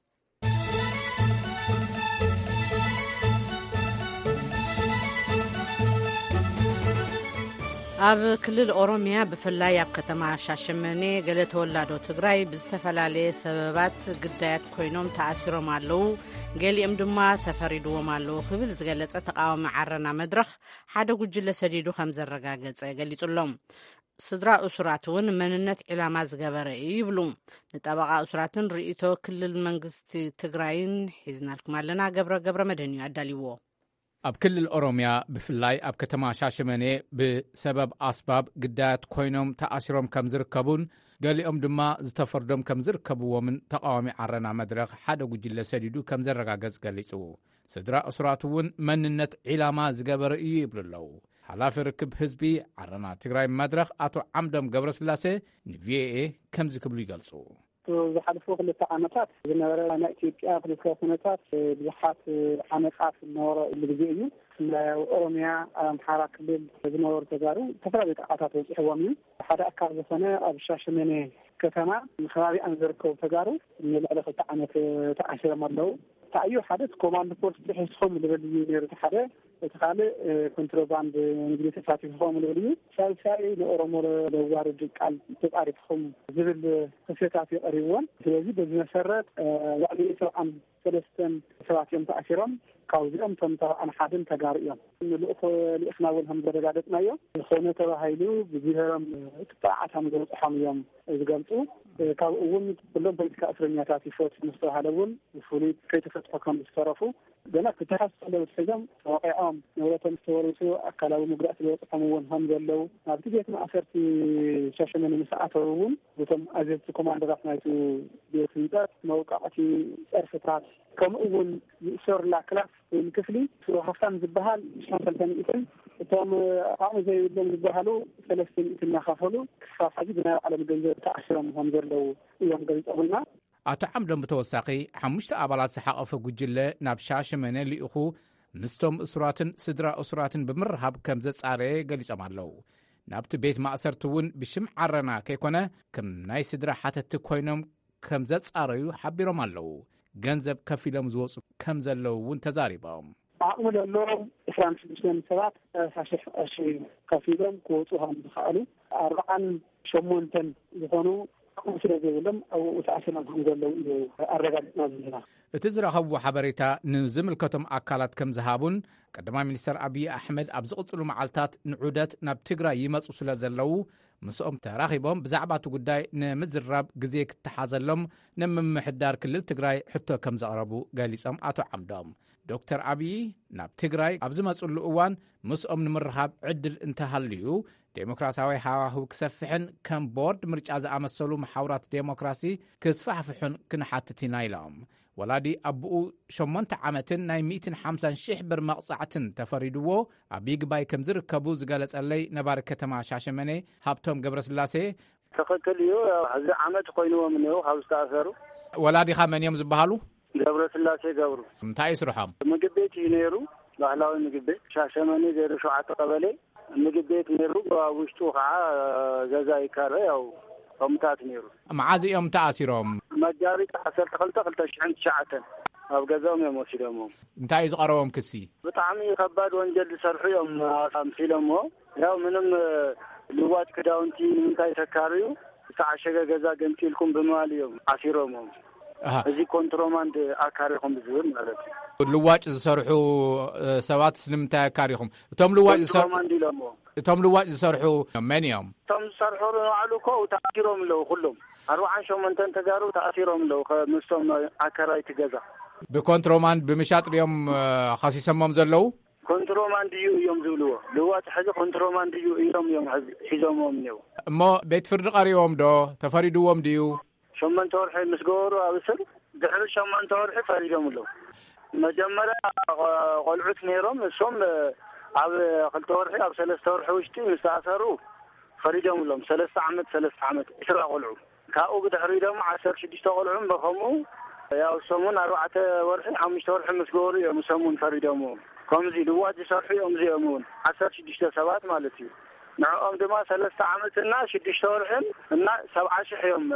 ኣብ ክልል ኦሮሚያ፣ ብፍላይ ኣብ ከተማ ሻሸመኔ፣ ገለ ተወላዶ ትግራይ ብዝተፈላለየ ሰበባት ግዳያት ኮይኖም ተኣሲሮም ኣለዉ። ገሊኦም ድማ ተፈሪድዎም ኣለዉ ክብል ዝገለጸ ተቃዋሚ ዓረና መድረኽ፣ ሓደ ጉጅለ ሰዲዱ ከም ዘረጋገጸ ገሊጹ ኣሎ። ስድራ እሱራት እውን መንነት ዒላማ ዝገበረ እዩ ይብሉ። ንጠበቓ እሱራትን ርእይቶ ክልል መንግስቲ ትግራይን ሒዝናልኩም ኣለና። ገብረ ገብረ መድህን እዩ ኣዳልይዎ። ኣብ ክልል ኦሮሚያ፣ ብፍላይ ኣብ ከተማ ሻሸመኔ፣ ብሰበብ ኣስባብ ግዳያት ኮይኖም ተኣሲሮም ከም ዝርከቡን ገሊኦም ድማ ዝተፈርዶም ከም ዝርከብዎምን ተቃዋሚ ዓረና መድረኽ ሓደ ጉጅለ ሰዲዱ ከም ዘረጋገጽ ገሊጹ። ስድራ እሱራት እውን መንነት ዒላማ ዝገበረ እዩ ይብሉ ኣለዉ። ሓላፊ ርክብ ህዝቢ ዓረና ትግራይ መድረኽ ኣቶ ዓምዶም ገብረስላሴ ንቪኦኤ ከምዚ ክብሉ ይገልጹ። ዝሓለፉ ክልተ ዓመታት ዝነበረ ናይ ኢትዮጵያ ፖለቲካዊ ኩነታት ብዙሓት ዓመጻት ዝነበረሉ ግዜ እዩ። ናይ ኦሮሚያ፣ ኣብ ኣምሓራ ክልል ዝነበሩ ተጋሩ ዝተፈላለዩ ጥቕዓታት በፂሕዎም እዩ። ሓደ ኣካል ዝኾነ ኣብ ሻሸመኔ ከተማ ከባቢኣን ዝርከቡ ተጋሩ ንልዕሊ ክልተ ዓመት ተኣሲሮም ኣለዉ። እንታይ እዩ፣ ሓደ እቲ ኮማንድ ፖስት ሒዝኩም ዝብል እዩ ነይሩ፣ እቲ ሓደ። እቲ ካልእ ኮንትሮባንድ ንግዲ ተሳቲፍኹም ዝብል እዩ። ሳልሳይ ንኦሮሞ ለዋርድ ቃል ተጻሪፍኹም ዝብል ክስታት እዩ ቀሪብዎም። ስለዚ በዚ መሰረት ልዕሊ ሰብዓን ሰለስተን ሰባት እዮም ተኣሲሮም። ካብዚኦም እቶም ሰብዓን ሓደን ተጋሩ እዮም። ንልኡኽ ልኢኽና እውን ከም ዘረጋገጽናዮ፣ ዝኾነ ተባሂሉ ብብሄሮም ጥቕዓት ከም ዝበፅሖም እዮም ዝገልፁ። ካብኡ እውን ኩሎም ፖለቲካ እስረኛታት ይፈቱ ምስ ተባሃለ እውን ፍሉይ ከይተፈትሑ ከም ዝተረፉ፣ ገና ክተሓሱ ከለዉ ሒዞም ተወቒዖም፣ ንብረቶም ዝተወርሱ፣ ኣካላዊ መጉዳእቲ ዝበፅሖም እውን ከም ዘለዉ፣ ናብቲ ቤት ማእሰርቲ ሻሸመኔ ምስ ኣተዉ እውን፣ እቶም ኣዘዝቲ ኮማንደራት ናይቲ ቤት ህንፀት መውቃዕቲ፣ ፀርፍታት፣ ከምኡ እውን ዝእሰሩላ ክላስ ወይም ክፍሊ፣ ሃፍታም ዝበሃል ሽሕን ሰለስተ ሚእትን፣ እቶም ዓቕሚ ዘይብሎም ዝበሃሉ ሰለስተ ሚእትን እናኸፈሉ ክሳብ ሕጂ ብናይ ባዕሎም ገንዘብ ተኣሲሮም ከም ዘለዉ እዮም ገሊጾምልና። ኣቶ ዓምዶም ብተወሳኺ፣ ሓሙሽተ ኣባላት ዝሓቐፈ ጉጅለ ናብ ሻሸመኔ ልኢኹ፣ ምስቶም እሱራትን ስድራ እሱራትን ብምርኻብ ከም ዘጻረየ ገሊጾም ኣለዉ። ናብቲ ቤት ማእሰርቲ እውን ብሽም ዓረና ከይኮነ፣ ከም ናይ ስድራ ሓተትቲ ኮይኖም ከም ዘጻረዩ ሓቢሮም ኣለዉ። ገንዘብ ከፊሎም ዝወጹ ከም ዘለዉ እውን ተዛሪቦም። ዓቕሚ ዘለዎም ዕስራን ሽዱሽተን ሰባት ሰላሳ ሽሕ ቅርሺ ከፊሎም ክወጹ ከም ዝኸኣሉ፣ ኣርብዓን ሸሞንተን ዝኾኑ ከምኡ ስለ ዘይብሎም ኣብኡ ተኣሲሮም ከም ዘለዉ እዩ ኣረጋጊፅና ዘለና። እቲ ዝረኸብዎ ሓበሬታ ንዝምልከቶም ኣካላት ከም ዝሃቡን ቀዳማይ ሚኒስተር ኣብዪ ኣሕመድ ኣብ ዝቕፅሉ መዓልታት ንዑደት ናብ ትግራይ ይመፁ ስለ ዘለዉ ምስኦም ተራኺቦም ብዛዕባ እቲ ጉዳይ ንምዝራብ ግዜ ክተሓዘሎም ንምምሕዳር ክልል ትግራይ ሕቶ ከም ዘቕረቡ ገሊጾም። ኣቶ ዓምዶም ዶክተር ኣብዪ ናብ ትግራይ ኣብ ዝመፅሉ እዋን ምስኦም ንምርኻብ ዕድል እንተሃልዩ ዴሞክራሲያዊ ሃዋህው ክሰፍሕን ከም ቦርድ ምርጫ ዝኣመሰሉ መሓውራት ዴሞክራሲ ክስፋሕፍሑን ክንሓትት ኢና ኢሎም። ወላዲ ኣቦኡ ሸሞንተ ዓመትን ናይ ሚእትን ሓምሳን ሽሕ ብር መቕጻዕትን ተፈሪድዎ ኣብ ይግባይ ከም ዝርከቡ ዝገለጸለይ ነባሪ ከተማ ሻሸመኔ ሃብቶም ገብረስላሴ፣ ትኽክል እዩ። ሕዚ ዓመት ኮይንዎም እኒው ካብ ዝተኣሰሩ። ወላዲኻ መን እዮም ዝበሃሉ? ገብረስላሴ ገብሩ። እንታይ እዩ ስርሖም? ምግብ ቤት እዩ ነይሩ፣ ባህላዊ ምግብ ቤት ሻሸመኔ ዜሮ ሸውዓተ ቀበሌ ምግብ ቤት ነይሩ። ኣብ ውሽጡ ከዓ ገዛ ይካረ፣ ያው ከምታት ነይሩ። መዓዝ እዮም ተኣሲሮም? መጋቢት ዓሰርተ ክልተ ክልተ ሽሕን ትሽዓተን ኣብ ገዛኦም እዮም ወሲዶምዎም። እንታይ እዩ ዝቐረቦም ክሲ? ብጣዕሚ ከባድ ወንጀል ዝሰርሑ እዮም ኣምሲሎምዎ። ያው ምንም ልዋጭ ክዳውንቲ ንምንታይ ተካርዩ ዝተዓሸገ ገዛ ገንፂልኩም ብምባል እዮም ዓሲሮምዎም። ኣሃ። እዚ ኮንትሮማንድ ኣካሪኹም ብዝብል ማለት እዩ። ልዋጭ ዝሰርሑ ሰባት ንምንታይ ኣካሪኹም? እቶም ልዋጭ ዝሰርሑ ኮንትሮማንድ ኢሎምዎ። እቶም ልዋጭ ዝሰርሑ መን እዮም? እቶም ዝሰርሑ ንባዕሉ እኮ ተኣሲሮም ኣለዉ ኩሎም። ኣርባዓን ሸሞንተን ተጋሩ ተኣሲሮም ኣለዉ ምስቶም ኣካራይቲ ገዛ። ብኮንትሮማንድ ብምሻጥ ድዮም ከሲሰሞም ዘለዉ? ኮንትሮማንድ እዩ እዮም ዝብልዎ። ልዋጭ ሕዚ ኮንትሮማንድ እዩ ኢሎም እዮም ሕዚ ሒዞምዎም እኒው። እሞ ቤት ፍርዲ ቀሪቦም ዶ? ተፈሪድዎም ድዩ? ሸሞንተ ወርሒ ምስ ገበሩ ኣብ እስር ድሕሪ ሸሞንተ ወርሒ ፈሪዶም ኣለዉ። መጀመርያ ቆልዑት ነይሮም እሶም ኣብ ክልተ ወርሒ ኣብ ሰለስተ ወርሒ ውሽጢ ምስ ተኣሰሩ ፈሪዶም ኣሎም። ሰለስተ ዓመት ሰለስተ ዓመት ዕስራ ቆልዑ ካብኡ ብድሕሪ ደሞ ዓሰርተ ሽዱሽተ ቆልዑ በከምኡ ያው እሶም እውን ኣርባዕተ ወርሒ ሓሙሽተ ወርሒ ምስ ገበሩ እዮም እሶም እውን ፈሪዶም። ከምዚ ልዋጭ ዝሰርሑ እዮም እዚኦም እውን ዓሰርተ ሽዱሽተ ሰባት ማለት እዩ። ንዕኦም ድማ ሰለስተ ዓመት እና ሽዱሽተ ወርሕን እና ሰብዓ ሽሕ እዮም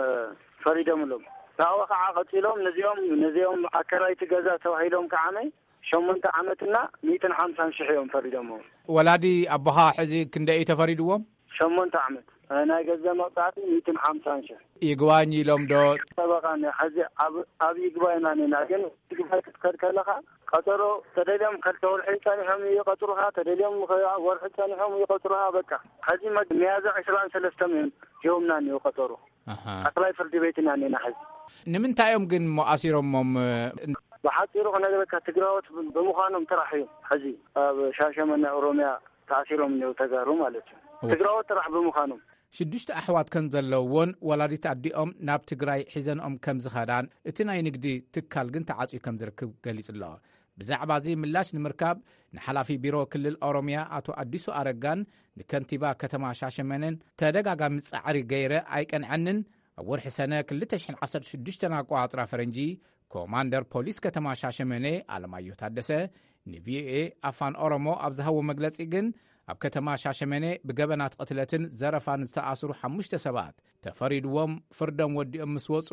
ፈሪዶምሎም። ካብኡ ከዓ ቀፂሎም ነዚኦም ነዚኦም ኣከራይቲ ገዛ ተባሂሎም ከዓመይ ሸሞንተ ዓመትና ሚእትን ሓምሳን ሽሕ እዮም ፈሪዶምዎም። ወላዲ ኣቦኻ ሕዚ ክንደይ እዩ ተፈሪድዎም? ሸሞንተ ዓመት ናይ ገዛ መቕፃዕቲ ሚእትን ሓምሳን ሽሕ። ይግባኝ ኢሎም ዶ? ጠበቃ ሕዚ ኣብ ይግባይና ኔና ግን ይግባይ ክትከድ ከለካ ቀጠሮ ተደልዮም ከልተ ወርሒ ፀኒሖም ይቀጥሩካ፣ ተደልዮም ወርሒ ፀኒሖም ይቀጥሩካ። በቃ ሕዚ ሚያዝያ ዕስራን ሰለስተን እዮም ሂቦምና እኒው ቀጠሮ። ኣክላይ ፍርዲ ቤት ኢና እኒና ሕዚ። ንምንታይ እዮም ግን እሞ ኣሲሮሞም? ብሓፂሩ ክነግረካ ትግራዎት ብምዃኖም ጥራሕ እዮም ሕዚ ኣብ ሻሸመነ ኦሮሚያ ተኣሲሮም እኒው ተጋሩ ማለት እዩ። ትግራዎት ጥራሕ ብምዃኖም። ሽዱሽተ ኣሕዋት ከም ዘለውዎን ወላዲት ኣዲኦም ናብ ትግራይ ሒዘንኦም ከም ዝኸዳን እቲ ናይ ንግዲ ትካል ግን ተዓፅዩ ከም ዝርክብ ገሊጹ ኣሎ። ብዛዕባ እዚ ምላሽ ንምርካብ ንሓላፊ ቢሮ ክልል ኦሮሚያ ኣቶ ኣዲሱ ኣረጋን ንከንቲባ ከተማ ሻሸመነን ተደጋጋሚ ጻዕሪ ገይረ ኣይቀንዐንን። ኣብ ወርሒ ሰነ ክልተ ሽሕን ዓሰርተ ሽዱሽተን ኣቆጻጽራ ፈረንጂ ኮማንደር ፖሊስ ከተማ ሻሸመኔ ኣለማዮ ታደሰ ንቪኦኤ ኣፋን ኦሮሞ ኣብ ዝሃቦ መግለጺ ግን ኣብ ከተማ ሻሸመኔ ብገበናት ቅትለትን ዘረፋን ዝተኣስሩ ሓሙሽተ ሰባት ተፈሪድዎም ፍርዶም ወዲኦም ምስ ወጹ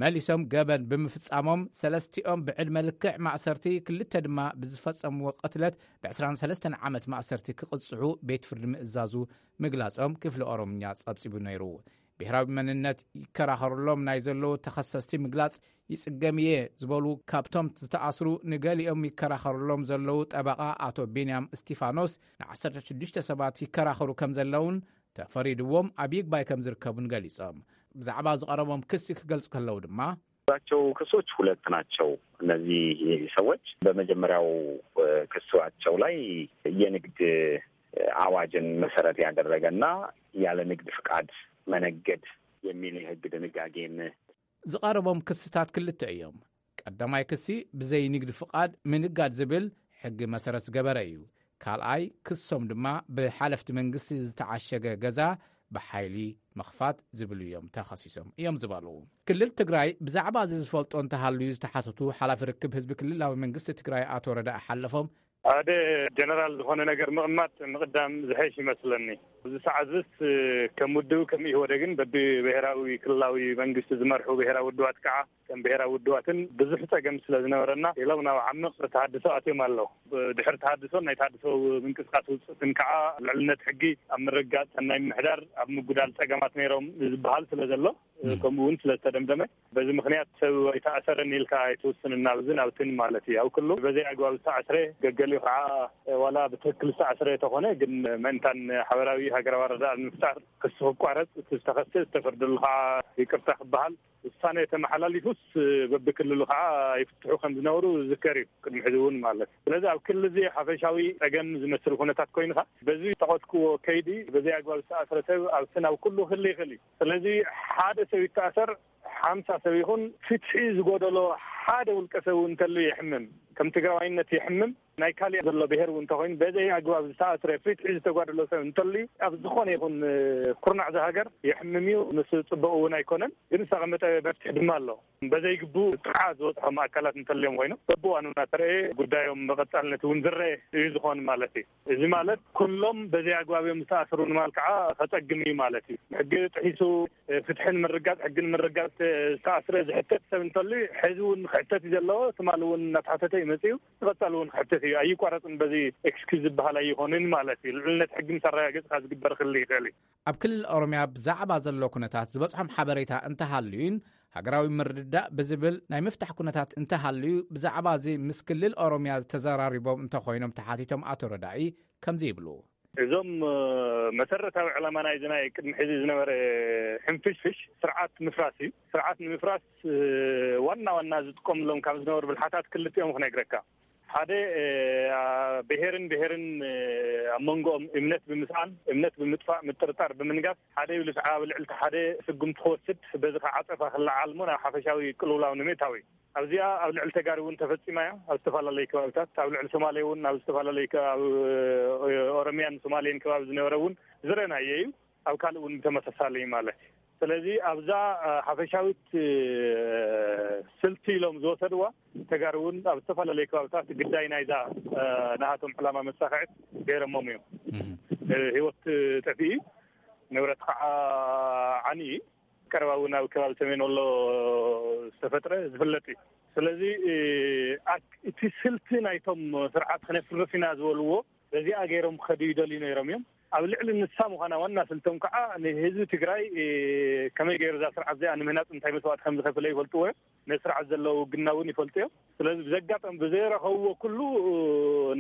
መሊሶም ገበን ብምፍጻሞም ሰለስቲኦም ብዕድመ ልክዕ ማእሰርቲ ክልተ ድማ ብዝፈጸምዎ ቅትለት ብ ዕስራን ሰለስተን ዓመት ማእሰርቲ ክቕጽዑ ቤት ፍርዲ ምእዛዙ ምግላጾም ክፍሊ ኦሮምኛ ጸብጺቡ ነይሩ። ብሄራዊ መንነት ይከራኸሩሎም ናይ ዘለዉ ተኸሰስቲ ምግላጽ ይጽገም እየ ዝበሉ ካብቶም ዝተኣስሩ ንገሊኦም ይከራኸሩሎም ዘለዉ ጠበቓ ኣቶ ቢንያም እስቲፋኖስ ንዓሰርተ ሽዱሽተ ሰባት ይከራኸሩ ከም ዘለውን ተፈሪድዎም ኣብ ይግባይ ከም ዝርከቡን ገሊጾም። ብዛዕባ ዝቐረቦም ክሲ ክገልጹ ከለዉ ድማ ቸው ክሶች ሁለት ናቸው። እነዚህ ሰዎች በመጀመሪያው ክሳቸው ላይ የንግድ አዋጅን መሰረት ያደረገና ያለ ንግድ ፍቃድ መነገድ የሚል የህግ ድንጋጌን ዝቐረቦም ክስታት ክልተ እዮም። ቀዳማይ ክሲ ብዘይ ንግዲ ፍቓድ ምንጋድ ዝብል ሕጊ መሰረት ዝገበረ እዩ። ካልኣይ ክሶም ድማ ብሓለፍቲ መንግስቲ ዝተዓሸገ ገዛ ብሓይሊ ምኽፋት ዝብሉ እዮም ተኸሲሶም እዮም ዝበሉ። ክልል ትግራይ ብዛዕባ እዚ ዝፈልጦ እንተሃልዩ ዝተሓተቱ ሓላፊ ርክብ ህዝቢ ክልላዊ መንግስቲ ትግራይ ኣቶ ረዳኢ ሓለፎም ሓደ ጀነራል ዝኾነ ነገር ምቕማጥ ምቕዳም ዝሐሽ ይመስለኒ። እዚ ሰዓት ዝስ ከም ውድብ ከም ኢህወደግን በቢ ብሔራዊ ክልላዊ መንግስቲ ዝመርሑ ብሔራዊ ውድባት ከዓ ከም ብሔራዊ ውድባትን ብዙሕ ጸገም ስለ ዝነበረና ኢሎም ናብ ዓምቕ ተሃድሶ ኣትዮም ኣለዉ። ድሕሪ ተሃድሶን ናይ ተሃድሶ ምንቅስቃስ ውፅእትን ከዓ ልዕልነት ሕጊ ኣብ ምርጋፅ ናይ ምሕዳር ኣብ ምጉዳል ጸገማት ነይሮም ዝበሃል ስለ ዘሎ ከምኡ እውን ስለ ዝተደምደመ፣ በዚ ምኽንያት ሰብ ኣይተኣሰረን ኢልካ ኣይትውስንን፣ ናብዝን ኣብትን ማለት እዩ። ኣብ ኩሉ በዘይ ኣግባብ ዝተኣስረ፣ ገገሊኡ ከዓ ዋላ ብትክክል ዝተኣስረ ተኾነ፣ ግን ምእንታን ሓበራዊ ሃገራዊ ኣረዳድኣ ንምፍጣር ክሲ ክቋረጽ፣ እቲ ዝተኸሰ ዝተፈርደሉ ከዓ ይቅርታ ክበሃል፣ ውሳነ ተመሓላሊፉስ በብክልሉ ከዓ ይፍትሑ ከም ዝነበሩ ዝዝከር እዩ፣ ቅድሚ ሕዚ እውን ማለት። ስለዚ ኣብ ክልል እዚ ሓፈሻዊ ጸገም ዝመስል ኩነታት ኮይንካ፣ በዚ ጠቐስክዎ ከይዲ በዘይ ኣግባብ ዝተኣስረ ሰብ ኣብቲ ናብ ኩሉ ክሊ ይኽእል እዩ። ስለዚ ሓደ ሰብ ይተኣሰር፣ ሓምሳ ሰብ ይኹን፣ ፍትሒ ዝጎደሎ ሓደ ውልቀ ሰብ እውን እንተሉ የሕምም። ከም ትግራዋይነት የሕምም። ናይ ካሊእ ዘሎ ብሄር እውን እንተኾይኑ፣ በዘይ ኣግባብ ዝተኣስረ፣ ፍትሒ ዝተጓደሎ ሰብ እንተሉ፣ ኣብ ዝኾነ ይኹን ኩርናዕ እዚ ሃገር የሕምም እዩ። ምስ ጽቡቕ እውን ኣይኮነን፣ ግን ዝተቐመጠ መፍትሒ ድማ ኣሎ። በዘይ ግቡእ ጥቕዓት ዝበጽሖም ኣካላት እንተልዮም ኮይኖም፣ በብእዋኑ እናተረኤ ጉዳዮም ብቐጻልነት እውን ዝረኤ እዩ ዝኾን ማለት እዩ። እዚ ማለት ኩሎም በዘይ ኣግባብ እዮም ዝተኣስሩ ንማል ከዓ ከጸግም እዩ ማለት እዩ። ሕጊ ጥሒሱ፣ ፍትሒ ንምርጋጽ፣ ሕጊ ንምርጋጽ ዝተኣስረ ዝሕተት ሰብ እንተሉ፣ ሕዚ እውን ክሕተት እዩ ዘለዎ። ትማል እውን እናተሓተተ እዩ መጺኡ፣ ንቐጻሊ እውን ክሕተት እዩ። ኣይቋረጽን፣ በዚ ኤክስኪዝ ዝበሃል ኣይኾንን ማለት እዩ። ልዕልነት ሕጊ ምስ ኣረጋገጽካ ዝግበር ክህሉ ይኽእል እዩ። ኣብ ክልል ኦሮምያ ብዛዕባ ዘሎ ኩነታት ዝበጽሖም ሓበሬታ እንተሃልዩን፣ ሃገራዊ ምርድዳእ ብዝብል ናይ ምፍታሕ ኩነታት እንተሃልዩ፣ ብዛዕባ እዚ ምስ ክልል ኦሮምያ ዝተዘራሪቦም እንተኾይኖም ተሓቲቶም ኣቶ ረዳኢ ከምዚ ይብሉ። እዞም፣ እ፣ መሰረታዊ ዕላማ ናይዚ ናይ ቅድሚ ሕዚ ዝነበረ ሕንፍሽፍሽ ስርዓት ምፍራስ እዩ። ስርዓት ንምፍራስ፣ እ፣ ዋና ዋና ዝጥቀምሎም ካብ ዝነበሩ ብልሓታት ክልቲኦም ክነግረካ። ሓደ፣ እ፣ አ፣ ብሄርን ብሄርን፣ እ፣ ኣብ መንጎኦም እምነት ብምስኣን፣ እምነት ብምጥፋእ፣ ምጥርጣር ብምንጋፍ፣ ሓደ ይብልስ ኣብ ልዕሊ እቲ ሓደ ስጉምቲ ክወስድ፣ በዚ ከዓ ዓጸፋ ክለዓል እሞ ናብ ሓፈሻዊ ቅልውላው ንምእታው እዩ። ኣብዚኣ ኣብ ልዕሊ ተጋሩ እውን ተፈጺማ እያ። ኣብ ዝተፈላለዩ ከባቢታት፣ ኣብ ልዕሊ ሶማሌ እውን፣ ኣብ ዝተፈላለዩ ከ-፣ ኣብ፣ እ፣ ኦሮሚያን ሶማሌን ከባቢ ዝነበረ እውን ዝረኣናዮ እዩ። ኣብ ካልእ እውን ብተመሳሳሊ ማለት እዩ። ስለዚ ኣብዛ፣ እ፣ ሓፈሻዊት፣ እ፣ ስልቲ ኢሎም ዝወሰድዋ፣ ተጋሩ እውን ኣብ ዝተፈላለዩ ከባቢታት ግዳይ ናይዛ፣ እ፣ ናሃቶም ዕላማ መሳኽዕት ገይረሞም እዮም። እህ። እ፣ ህይወት ጠፊኡ፣ ንብረት ከዓ ዓኒ እዩ። ቀረባ እውን ኣብ ከባቢ ሰሜን ወሎ ዝተፈጥረ ዝፍለጥ እዩ። ስለዚ፣ እ፣ ኣክ-፣ እቲ ስልቲ ናይቶም ስርዓት ክነፍርስ ኢና ዝበልዎ፣ በዚኣ ገይሮም ክኸዱ ይደልዩ ነይሮም እዮም። ኣብ ልዕሊ ንሳ ምዃና ዋና ስልቶም ከዓ ንህዝቢ ትግራይ፣ እ፣ ከመይ ገይሩ እዛ ስርዓት እዚኣ ንምህናፅ እንታይ መስዋእቲ ከም ዝኸፍለ ይፈልጥዎ እዮም። ነቲ ስርዓት ዘለዎ ውግና እውን ይፈልጡ እዮም። ስለዚ ብዘጋጠም ብዘይረኸብዎ ኩሉ፣ እ፣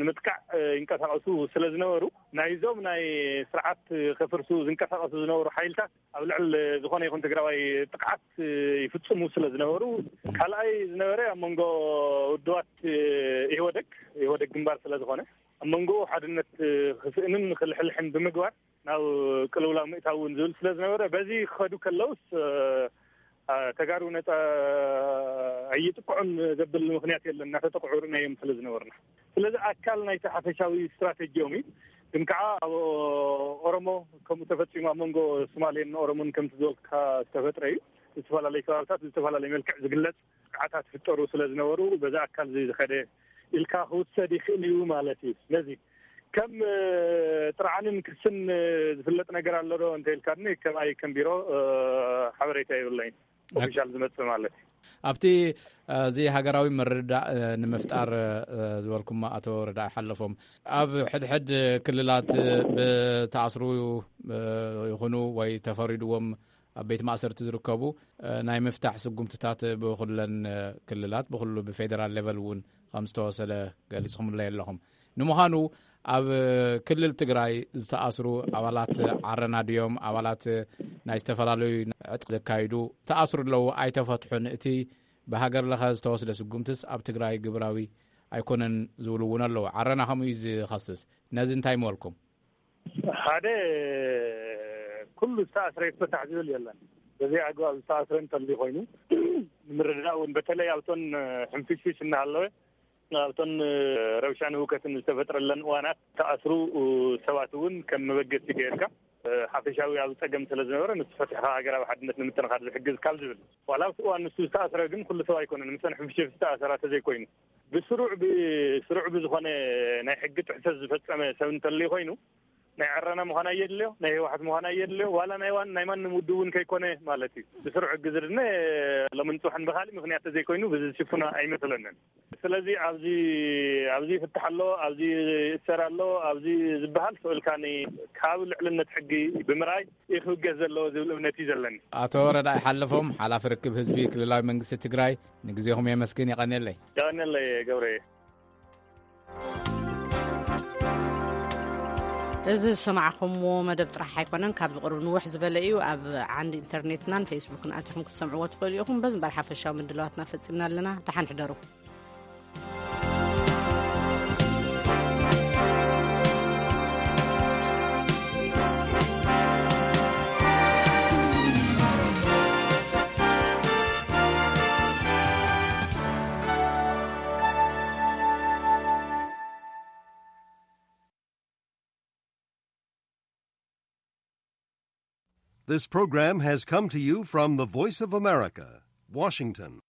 ንምጥቃዕ፣ እ፣ ይንቀሳቐሱ ስለ ዝነበሩ፣ ናይዞም ናይ ስርዓት ከፍርሱ ዝንቀሳቐሱ ዝነበሩ ሓይልታት ኣብ ልዕሊ ዝኾነ ይኹን ትግራዋይ ጥቕዓት ይፍጽሙ ስለ ዝነበሩ፣ ካልኣይ ዝነበረ ኣብ መንጎ ውድባት ኢህወደግ፣ ኢህወደግ ግንባር ስለ ዝኾነ፣ ኣብ መንጎኡ ሓድነት ክስእንን ክልሕልሕን ብምግባር ናብ ቅልውላው ምእታው እውን ዝብል ስለ ዝነበረ፣ በዚ ክኸዱ ከለውስ፣ እ፣ ተጋሩ ነጻ ኣይጥቅዑን ዘብል ምኽንያት የለን፣ እናተጠቅዑ ርኢናዮም ስለ ዝነበርና። ስለዚ ኣካል ናይቲ ሓፈሻዊ ስትራተጂኦም እዩ። ግን ከዓ ኣብ ኦሮሞ ከምኡ ተፈጺሙ፣ ኣብ መንጎ ሶማሌን ኦሮሞን ከምቲ ዝበልካ ዝተፈጥረ እዩ። ዝተፈላለዩ ከባብታት ብዝተፈላለየ መልክዕ ዝግለጽ ጥቅዓታት ይፍጠሩ ስለ ዝነበሩ፣ በዛ ኣካል እዚ ዝኸደ ኢልካ ክውሰድ ይኽእል እዩ ማለት እዩ። ስለዚ ከም፣ እ፣ ጥርዓንን ክስን፣ እ፣ ዝፍለጥ ነገር ኣሎ ዶ እንተ ኢልካኒ፣ ከማይ ከም ቢሮ፣ እ፣ ሓበሬታ የብለይን። ኦፊሻል ዝመጽእ ማለት እዩ። ኣብቲ፣ እ፣ እዚ ሃገራዊ ምርድዳእ፣ እ፣ ንምፍጣር፣ እ፣ ዝበልኩሞ ኣቶ ረዳኢ ሓለፎም፣ ኣብ ሕድሕድ ክልላት፣ እ፣ ብተኣስሩ፣ እ፣ ይኹኑ ወይ ተፈሪድዎም ኣብ ቤት ማእሰርቲ ዝርከቡ፣ እ፣ ናይ ምፍታሕ ስጉምትታት ብኹለን፣ እ፣ ክልላት፣ ብኹሉ ብፌደራል ሌቨል እውን ከም ዝተወሰደ ገሊጽኩምለይ ኣለኹም። ንምዃኑ ኣብ ክልል ትግራይ ዝተኣስሩ ኣባላት ዓረና ድዮም? ኣባላት ናይ ዝተፈላለዩ ዕጥቂ ዘካይዱ ዝተኣስሩ ኣለዉ፣ ኣይተፈትሑን። እቲ ብሃገር ለኸ ዝተወስደ ስጉምትስ ኣብ ትግራይ ግብራዊ ኣይኮነን ዝብሉ እውን ኣለዉ። ዓረና ከምኡ እዩ ዝኸስስ። ነዚ እንታይ ምበልኩም? ሓደ፣ ኩሉ ዝተኣስረ ይፈታሕ ዝብል የለን። በዘይ ኣግባብ ዝተኣስረ እንተልዩ ኮይኑ፣ ንምርዳእ እውን በተለይ ኣብቶን ሕንፍሽፍሽ እናሃለወ፣ ኣብቶን ረብሻን ህውከትን ዝተፈጥረለን እዋናት ተኣስሩ ሰባት እውን ከም መበገሲ ገይርካ፣ ሓፈሻዊ ኣብ ጸገም ስለ ዝነበረ፣ ንሱ ፈቲሕካ ሃገራዊ ሓድነት ንምጥንኻር ዝሕግዝ ካብ ዝብል። ዋላ ኣብቲ እዋን ንሱ ዝተኣስረ ግን ኩሉ ሰብ ኣይኮነን፣ ምሰን ሕንፍሽፍሽ ዝተኣሰራ ተዘይኮይኑ፣ ብስሩዕ ብ-፣ ስሩዕ ብዝኾነ ናይ ሕጊ ጥሕሰት ዝፈጸመ ሰብ እንተልዩ ኮይኑ፣ ናይ ዕረና ምዃን ኣየድልዮ፣ ናይ ህወሓት ምዃን ኣየድልዮ፣ ዋላ ናይ ዋን ናይ ማንም ውድብ እውን ከይኮነ ማለት እዩ። ብስሩዕ ሕጊ ዝድነ ሎምን ጽባሕን ብኻሊእ ምኽንያት ተዘይኮይኑ ብዚ ዝሽፍኖ ኣይመስለንን። ስለዚ ኣብዚ ኣብዚ ይፍታሕ ኣሎ፣ ኣብዚ ይእሰር ኣሎ፣ ኣብዚ ዝበሃል ስእልካኒ ካብ ልዕልነት ሕጊ ብምርኣይ እዩ ክብገስ ዘለዎ ዝብል እምነት እዩ ዘለኒ። ኣቶ ረዳኢ ሓለፎም፣ ሓላፊ ርክብ ህዝቢ ክልላዊ መንግስቲ ትግራይ፣ ንግዜኹም የመስግን። የቐንየለይ። የቐንየለይ ገብረ። እዚ ዝሰማዕኹምዎ መደብ ጥራሕ ኣይኮነን፣ ካብ ዝቕርብ ንውሕ ዝበለ እዩ። ኣብ ዓንዲ ኢንተርኔትናን ፌስቡክን ኣቲኹም ክትሰምዕዎ ትኽእሉ ኢኹም። በዚ እምበር ሓፈሻዊ ምድላዋትና ፈጺምና ኣለና። ደሓን ሕደሩ። This program has come to you from the Voice of America, Washington.